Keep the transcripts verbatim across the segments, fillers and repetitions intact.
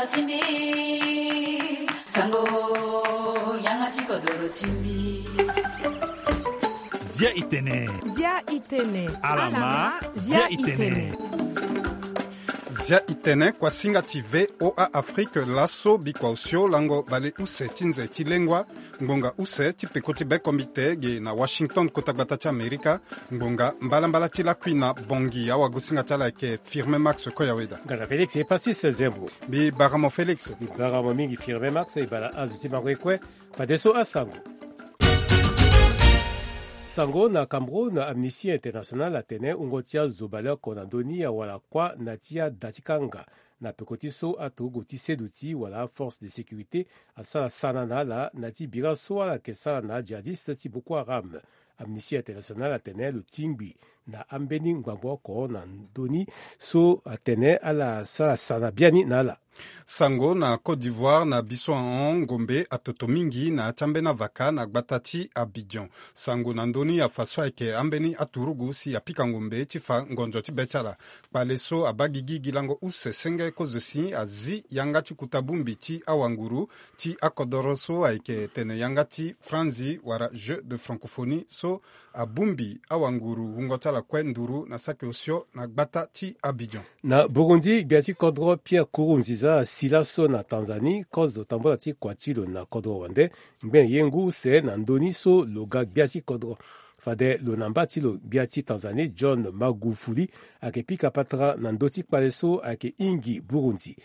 Timbi, sango, yanga ti kodoro timbi. Zia itene. Zia itene. Alama, zia itene. Zia itene, kuasinga ti V O A Afrique, laso bikua osio lango bale use ti nze ti lengua, ngbonga use ti peko ti bekombite ge na Washington, kota gbata ti Amerika. Ngbonga mbalambala ti lakui na Bangui, awagosinga ti ala ayeke Firmin Max Koyaweda. Ngana Félix Epasis Zembo. Mbi bara mo Félix. Mbi bara mo mingi Firmin Max, e bara azo ti mango ye kue. Fadeso asango. Sango na Cameroun, Amnesty International atene wungo ti azo baleoko na ndö ni awara kuâ na ti ada ti kanga na peko ti so aturugu ti seduti wala aforce de sécurité asara sana na ala na ti bira so ala yeke sara na ajihadiste ti Boko Haram. Amnesty International atene lo tingbi na ambeni ngbangbo oko na ndö ni so atene ala sara sana biani na ala. Sango na Côte d'Ivoire, na biso ahon, ngombe atoto mingi na ya ti ambeni avaka na gbata ti Abidjan. Sango na ndö ni afa so ayeke ambeni aturugu si apika ngombe ti fa ngonzo ti be ti ala. Kpale so abaa gigi gi lango use senge kozo si azi yanga ti kuta bongbi ti awanguru ti akodoro so ayeke tene yanga ti franzi wala jeu de francophonie so abongbi awanguru wungo ti ala kue nduru na saki osio na gbata ti Abidjan. Na Burundi, gbia ti kodro Pierre Nkurunziza asi laso na Tanzanie kozo tambula ti kua ti lo na kodro wande ngbene ye ngu use na ndö ni so lo ga gbia ti kodro. Fade lo na mba ti lo gbia ti Tanzanie John Magufuli ayeke pika patara na ndö ti kpale so ayeke hingi Burundi.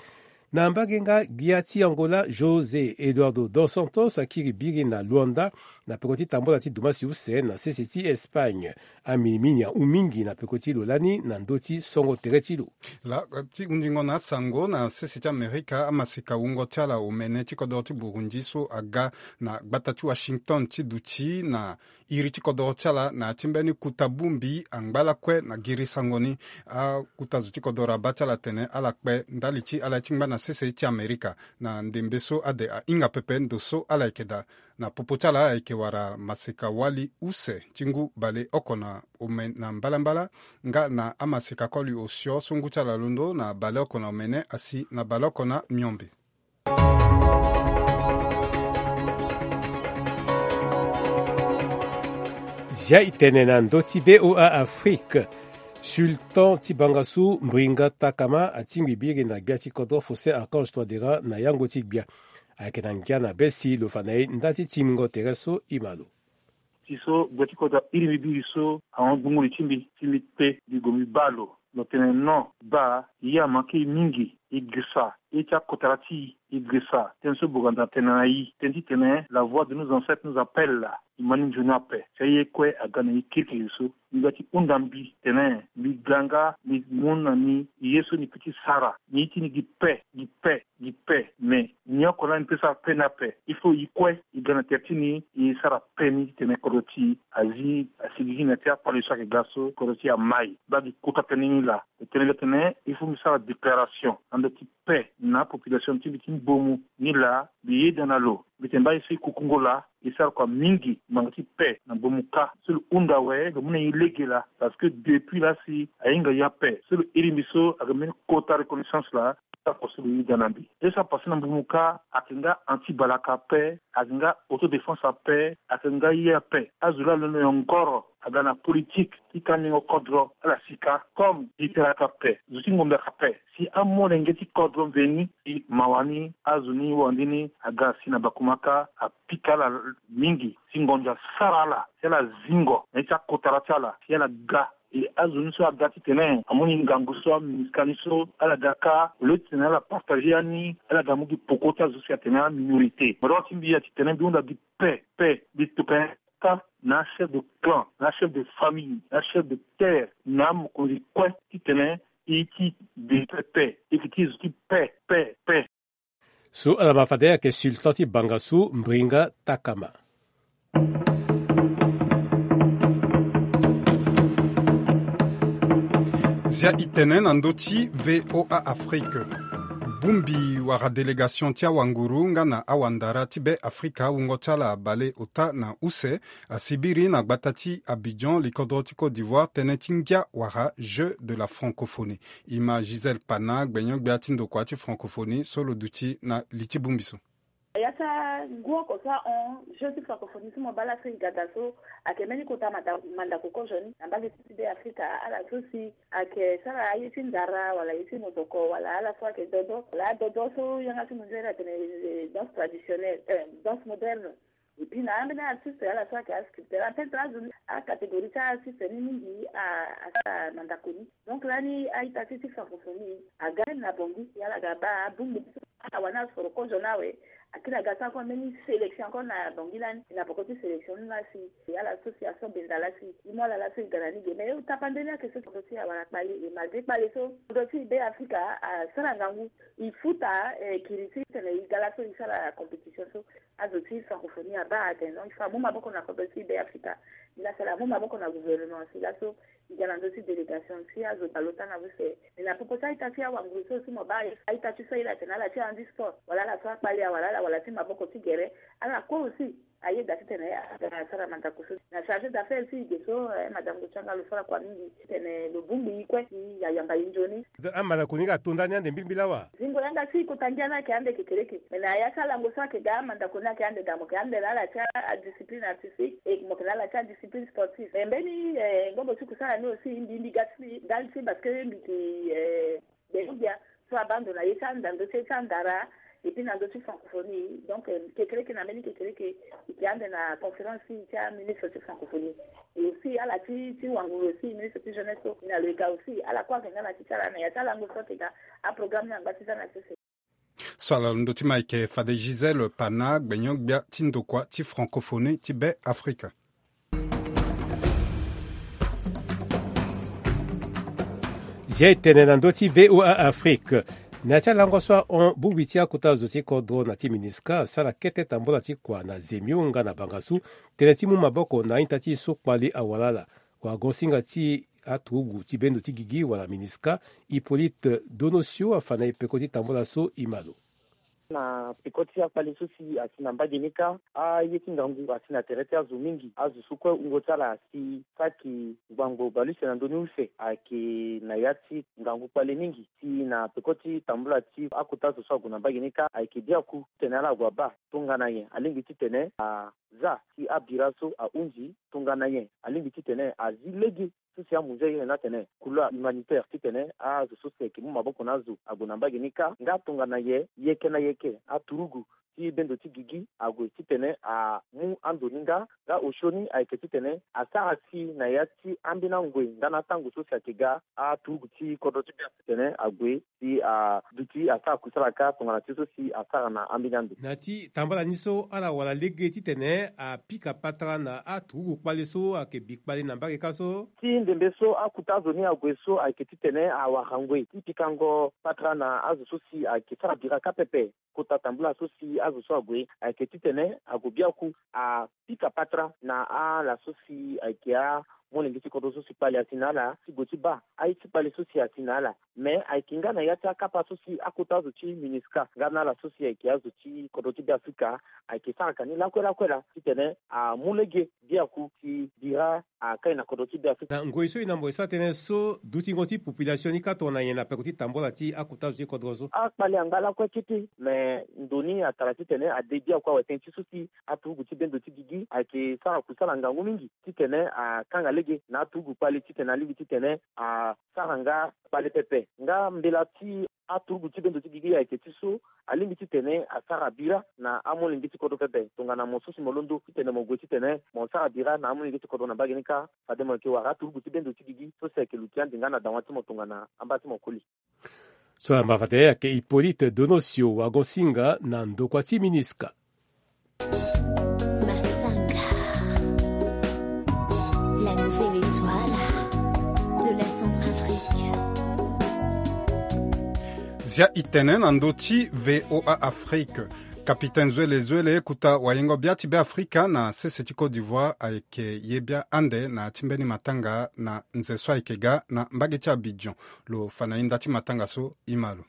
Na mbage nga, gbia ti Angola José Eduardo dos Santos akiri biri na Luanda na peko ti tambula ti dumasi use na sese ti Espagne. Aminimini ahun mingi na peko ti lo lani na ndö ti songo tere ti lo. Laa ti hundingo na asango na sese ti Amerika, amaseka wungo ti ala omene ti kodoro ti Burundi so aga na gbata ti Washington ti duti na iri ti kodoro ti ala na ya ti mbeni kuta bongbi angba lakue na giri sango ni. Akuta zo ti kodoro abaa ti ala atene ala kpe ndali ti ala ye ti ngba na sese ti Amerika na ndembe so ade ahinga pepe ndo so ala yeke daa. Na popo ti ala ayeke wara maseka wali use ti ngu baleoko na ome na mbalambala nga na amaseka koli osio so ngu ti ala londo na baleoko na omene asi na baleoko na miombe. Zia itene na ndö ti V O A Afrique. Sultan ti bangasu Mbringa Takama atingbi biri na gbia ti kodro Faustin Archange Touadéra na yango ti gbia. Ayeke na ngia na be si lo fa na e nda ti tingbingo tere so e ma lo. Ti so gbia ti kodro airi mbi biri so ahon gbungu li ti mbi ti mbi kpe mbi gue mbi baa lo. Lo tene non, baa, ye amanke e mingi, e girisa ye ti akotara ti e, e girisa tënë so boganda atene na e, tënë titene la voix de nos ancêtres nous appelle. E ma ni nzoni ape. Si aye kue aga na e kirikiri so. Mbi ga ti hunda mbi tene mbi ga nga mbi mu na ni ye so ni peut ti sara. Ni ye ti ni gi pe, gi pe, gi pe. Mais ni oko laa ni peut sara pe ni ape. Il faut e kue e ga na tere ti ni e sara pe ni titene kodro ti e azi asigigi na ya ti akpale so ayeke ga so kodro ti e amai. Baa gi kota tënë ni laa. Lo tene lo tene il faut mbi sara déclaration na ndo ti pe na apopulation ti mbi ti mbomu ni laa. Mbi yeda na lo, mbi tene mbi aye so e kukungo laa e sara kua mingi ngbanga ti pe na mbomu kâ. So lo hunda awe lo mu na e lege laa. Parce que depuis laa si ahinga e ape so lo iri mbi so ayeke mbeni kota reconnaissance laa. Sara kua so lo yeda na mbi. Ye so apase na mbomu kâ ayeke nga anti balaka ape, ayeke nga autodéfense ape, ayeke nga ye ape. Azo laa alondo nyongoro aga na politique ti kandingo kodro ala sika comme dikere aka pe, zo ti ngombe aka pe. Si amolenge ti kodro mveni si mawa ni azo ni wande ni aga si na bakumaka apika ala mingi si ngonzo asara ala si ala zingo na ye ti akotara ti ala si ala ga. E azo ni so aga titene amu ni ngangu so aminiska ni so ala ga kâ au lieu titene ala partage ya ni ala ga mu gi poko ti azo si atene aminorité. Mo doro ti mbi ya titene mbi hunda gi pe pe mbi tokua kâ na achef de clan, na achef de famille, na achef de terre, na amokonzi kue titene e ye ti de pe pe, e yeke ti zo ti pe pe pe. So ala ma fade ayeke sultan ti bangasu Mbringa Takama. Zia itene na ndö ti V O A Afrique. Bongbi wala délégation ti awanguru nga na awandara ti be Afrika wungo ti ala baleota na use asibiri na gbata ti Abidjan, likodro ti Côte d'Ivoire, tënë ti ngia wala Jeu de la Francophonie. E ma Gisèle Pana, gbenyo-gbia ti ndokua ti Francophonie so lo duti na li ti bongbi so. Ya ti angu oko so ahon Jeu ti Francophonie ti mo baa laso e ga daa so, ayeke mbeni kota manda, mandako kozo ni na mbage ti be Afrika, ala so si ayeke sara aye ti ndara wala aye ti mozoko wala ala so ayeke dodo wala adodo so yanga ti mondial atene, eh, danse traditionnelle, eh, danse moderne. Et puis na ambeni artiste ala so ayeke asculpteur, apeut ti azo ni, acatégorie ti artiste ni mingi a, asara mandako ni. Donc lani a-ita ti ti Francophonie aga na Bangui si ala ga baa abongbi ti so, ala wani asoro kozo ni awe. Akiri aga sara kue mbeni sélection encore na Bangui lani, na poko ti sélection ni laa si ala so si aso benda laa si e mu ala laa so e ga na ni ge. Mais e tapande ni ayeke so kodro ti e awara kpale, e malgré kpale so kodro ti e be Afrika asara ngangu, e futa, eh, kiri ti tene e ga laa so e sara compétition so. Azo ti Francophonie abaa atene non, il faut amu maboko na kodro ti e be Afrika. Ni laa si ala mu maboko na gouvernement si laso e ga na ndö ti délégation si azo baleota na use. Mais na popo ti a-ita ti awanguru so si mo baa, a-ita ti so aye la atene ala ti handi sport wala ala so akpale awala ala wala ti maboko ti gere, ala kue aussi ayeda titene aga asara mandako so. Na chargé d'affaires ti e ge so, eh, madame Gotianga, lo sara kua mingi titene lo bongbi e kue si ayamba e nzoni. Amandako ni ga ato ndani ande mbilimbili awa. Zingo yanga si kota ngia ni ayeke ande kekereke. Mais na ya ti alango so ayeke ga, amandako ni ayeke ande daa, mo yeke ande na ala ti adiscipline artistique, e mo yeke na ala ti adiscipline sportive. Mais mbeni, eh, ngobo ti kusala ni aussi mbi, mbi ga ti, ga ti parce que mbi yeke, eh, gbenyo-gbia so abaa ndo na ye ti anda, ndö ti ye ti andara, et puis na ndö ti Francophonie. Donc, eh, kekereke na mbeni kekereke e yeke ande na conférence ti aministre ti Francophonie. Et aussi ala ti, ti wanguru aussi, ministre ti jeunesse so, na lo e ga aussi, ala kue ayeke nga na ti ti ala na ya ti alango so ayeke ga, aprogramme ni angba ti za na sese. So ala londo ti ma ayeke fade Gisèle Pana, gbenyo-gbia ti ndokua ti Francophonie ti be Afrika. Zia e tene na ndö ti V O A Afrique. Na ya ti alango so ahon bongbi ti akota zo ti kodro na ti MINUSCA asara kete tambula ti kua na Zemio nga na Bangassou, tënë ti mu maboko na a-ita ti e so kpali awara ala. Wagosinga ti aturugu ti bendo ti gigi wala MINUSCA, Hippolyte Donosio, afa na e peko ti tambula so, e ma lo. Na peko ti akpale so si asi na mbage ni kâ, aye ti ngangu asi na tere ti azo mingi. Azo so kue wungo ti ala asi saki ngbangbo bale use na ndö ni use, ayeke na ya ti ngangu kpale mingi. Si na peko ti tambula ti akota zo so ague na mbage ni kâ, ayeke biaku titene ala gue abaa tongana nyen alingbi titene a za si abira so ahunzi, tongana nyen alingbi titene azi lege so si amu nzoni ni atene couloir humanitaire titene azo so si ayeke mu maboko na azo ague na mbage ni kâ, nga tongana nyen yeke na yeke aturugu ti bendo ti gigi ague titene amu ando ni nga, nga osio ni ayeke titene asara si na ya ti ambeni angoi nga na atango so si ayeke ga aturugu ti kodro ti gbia titene ague si aduti asara kusala kâ tongana ti so si asara na ambeni ando. Na ya ti tambala ni so ala wara lege titene apika patara na aturugu kpale so ayeke bi kpale na mbage kâ so. Ti ndembe so akuta azo ni ague so ayeke titene awara ngoi ti pikango patara na azo so si ayeke sara bira kâ pepe. Kota tambula so si azo so ague ayeke titene ague biaku apika patara na ala so si ayeke amolenge ti kodro so si kpale asi na ala ti gue ti baa aye ti kpale so si asi na ala. Me ayeke nga na ya ti akapa so si akota azo ti MINUSCA nga na ala so si ayeke azo ti kodro ti Beafrika ayeke sara ka ni lakue lakue laa titene amu lege biaku si bira akai na kodro ti Beafrika. Na ngoi so e na mo e sara tënë so dutingo ti population ni kâ tongana nyen na peko ti tambula ti akota zo ti kodro so? Akpale angba lakue kete, me ndo ni atara titene ade biaku awe tënë ti so si aturugu ti bendo ti gigi ayeke sara kusala ngangu mingi titene akanga lege na aturugu kpale titene alingbi titene asara nga kpale pepe. Nga mbela ti aturugu ti bendo ti gigi ayeke ti so alingbi titene asara bira na amolenge ti kodro pepe. Tongana mo so si mo londo titene mo gue titene mo sara bira na amolenge ti kodro na mbage ni kâ, fade mo yeke wara aturugu ti bendo ti gigi so si ayeke luti ande nga na dawa ti mo tongana amba ti mo koli. So ala ma fade ayeke Hippolyte Donosio, wagosinga na ndokua ti MINUSCA. Massanga, la nouvelle étoile de la Centrafrique. Zia e tene na ndö ti V O A Afrique. Capitaine Zwele Zwele, kota wayengo-bia ti Beafrika na sese ti Côte d'Ivoire, ayeke ye bia ande na ya ti mbeni matanga na nze so ayeke ga na mbage ti Abidjan. Lo fa na e nda ti matanga so, e ma lo.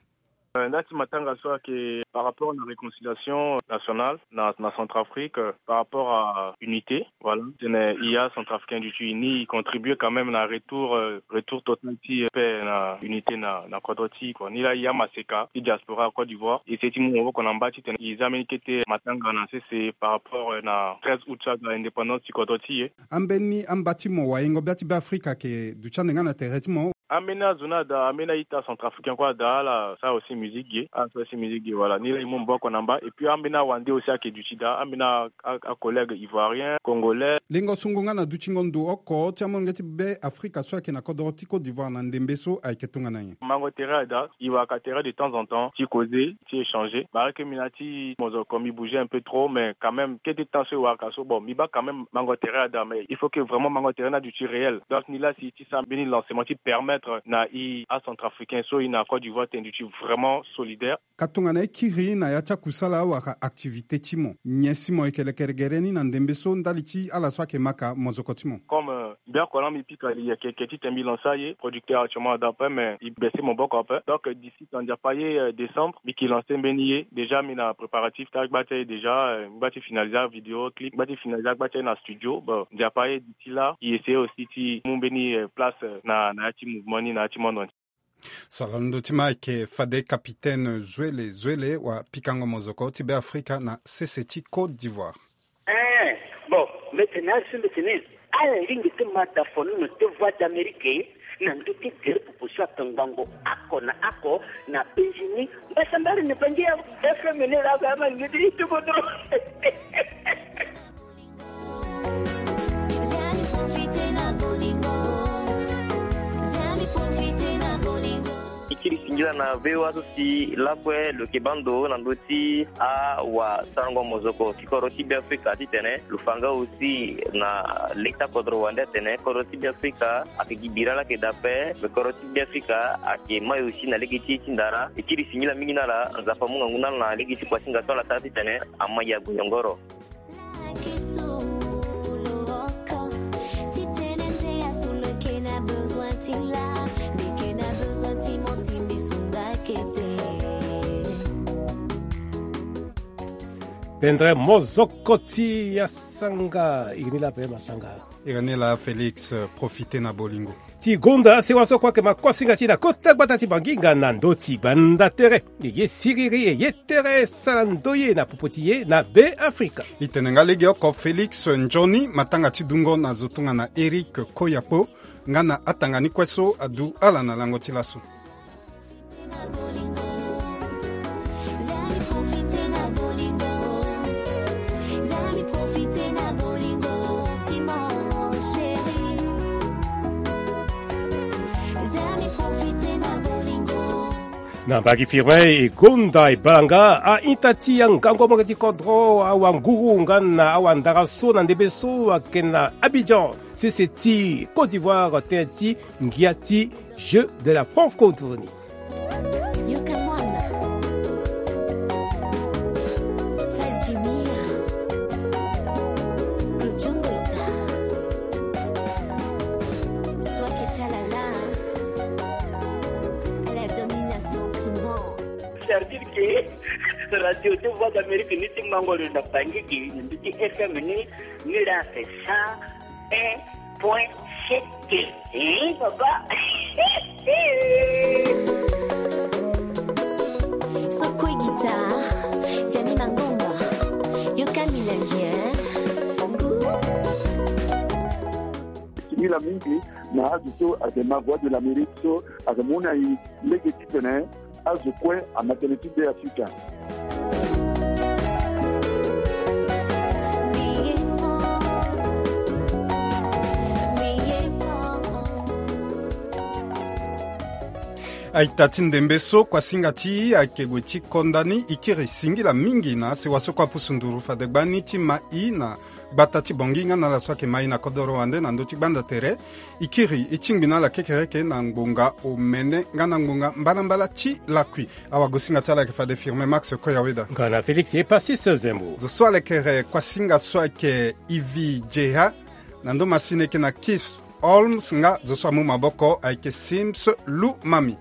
Nda ti matanga so ayeke par rapport na réconciliation nationale na na Centrafrique, par rapport à unité. Voilà, tene i ya Centrafricain du ti uni i contribue quand même na retour retour total ti pe na unité na na kodro ti i kua. Ni laa i ya maseka ti diaspora Côte d'Ivoire e seti mu maboko na mba titene i za mbeni kete matanga na sese par rapport na treize août so aga indépendance ti kodro ti e. Ambeni amba ti mo wayengo bia ti Beafrika ayeke duti ande nga na tere ti mo. Ambeni azo ni ada, ambeni a-ita centrafricain kue ada ala sara aussi musique ge, ala sara aussi musique ge. Voilà, ni laa e mu maboko na mba. Et puis ambeni awande aussi ayeke duti daa, ambeni a- a- acollègue ivoirien, congolais. Lengo sungu nga na dutingo ndo oko ti amolenge ti Beafrika so ayeke na kodoro ti Côte d'Ivoire na ndembe so ayeke tongana nyen? Mango tere ada, e waka tere de temps en temps ti causer, ti échanger. Bareke mbi na ti mozoko mbi bouger un peu trop, mais quand même kete temps so e waka so, bon, mbi baa quand même mango tere ada, mais il faut que vraiment mango tere ni aduti réel. Donc ni laa si ti sara mbeni lancement ti permettre na e acentrafricain so e na Côte d'Ivoire tene duti vraiment solidaire. Ka tongana e kiri na ya ti akusala wala activité ti mo, nyen si mo yeke lekere gere ni na ndembe so ndali ti ala so ayeke maka mozoko ti mo? Comme mbi oko laa mbi pika li yeke ke titene mbi lancer aye, producteur actuellement ada ape, mais e baisser maboko ape. Donc d'ici na Nzapa aye, décembre mbi yeke lancer mbeni ye. Déjà mbi na préparatif ti agba ti aye déjà, mbi gba ti finaliser avidéo clip, mbi gba ti finaliser agba ti aye na studio. Bon, Nzapa aye d'ici là e essayer aussi ti mu mbeni place na na ya ti mouvement ni na ya ti monde entier. So ala na ndö ti ma ayeke fade capitaine Zuele Zuele wa pikango mozoko ti Beafrika na sese ti Côte d'Ivoire. Eh, bon, mbi tene asi mbi tene ala lingbi ti ma dafonono ti Voix d'Amérique na ndö ti gere popo so atongbango oko na oko na Benjini. Mbasambari ni bangi ya F M ni laa ba ama lingbi ti ti kodro. E kiri singila na V O A so si lakue lo yeke baa ndo na ndö ti awasarango mozoko ti kodro ti Beafrika titene lo fa nga aussi na lege ti akodro wande atene kodro ti Beafrika ayeke gi bira laa ayeke daa ape, me kodro ti Beafrika ayeke mai aussi na lege ti e ti ndara. E kiri singila mingi na ala, Nzapa amu ngangu na ala na lege ti kuasinga so ala sara titene ama ya gue nyongoro. Pendre mozoko ti asanga. Iri ni laa pe masanga. Iri ni laa Félix, profite na bolingo ti gonda sewa so kue ayeke ma kuasinga ti e na kota gbata ti Bangi nga na ndö ti gbanda tere. E ye siriri, e ye tere sara ndoye na popo ti e na Beafrika. E tene nga legeoko Félix nzoni matanga ti dungo na zo tongana Éric Koyakpo nga na atanga ni kue so adu ala na lango ti laso. Na mbagi Firmin e gonda e bala nga a-ita ti angangu amolenge ti kodro, awanguru nga na awandara so na ndembe so ayeke na Abidjan, sese ti Côte d'Ivoire, tënë ti ngia ti Jeux de la francophonie. C'est-à-dire que radio de Voix d'Amérique ni ti mango lo na Bangui, ni ti F M ni, ni la c'est ça. Un point sept. Hein, papa? Sokwe guitar, Jani Mangomba, yoka milangi, hein? Singila mingi na azo so ayeke ma Voix de l'Amérique so ayeke mu na e lege titene azo kue ama tënë ti Beafrika. A-ita ti ndembe so kuasinga ti e ayeke gue ti konda ni, e kiri singila mingi na asewa so kue apusu nduru fade gbani ti ma e na gbata ti Bangui nga na ala so ayeke ma e na kodoro wande na ndö ti gbanda tere. E kiri e tingbi na ala kekereke na ngbonga omene nga na ngbonga mbalambala ti lakui. Awagosinga ti ala ayeke fade Firmin Max Koyaweda nga na Félix Epasis Zembo. Zo so alekere kuasinga so ayeke Ivi Jeha, na ndo masini ayeke na Keith Holmes, nga zo so amu maboko ayeke Sims Lumami.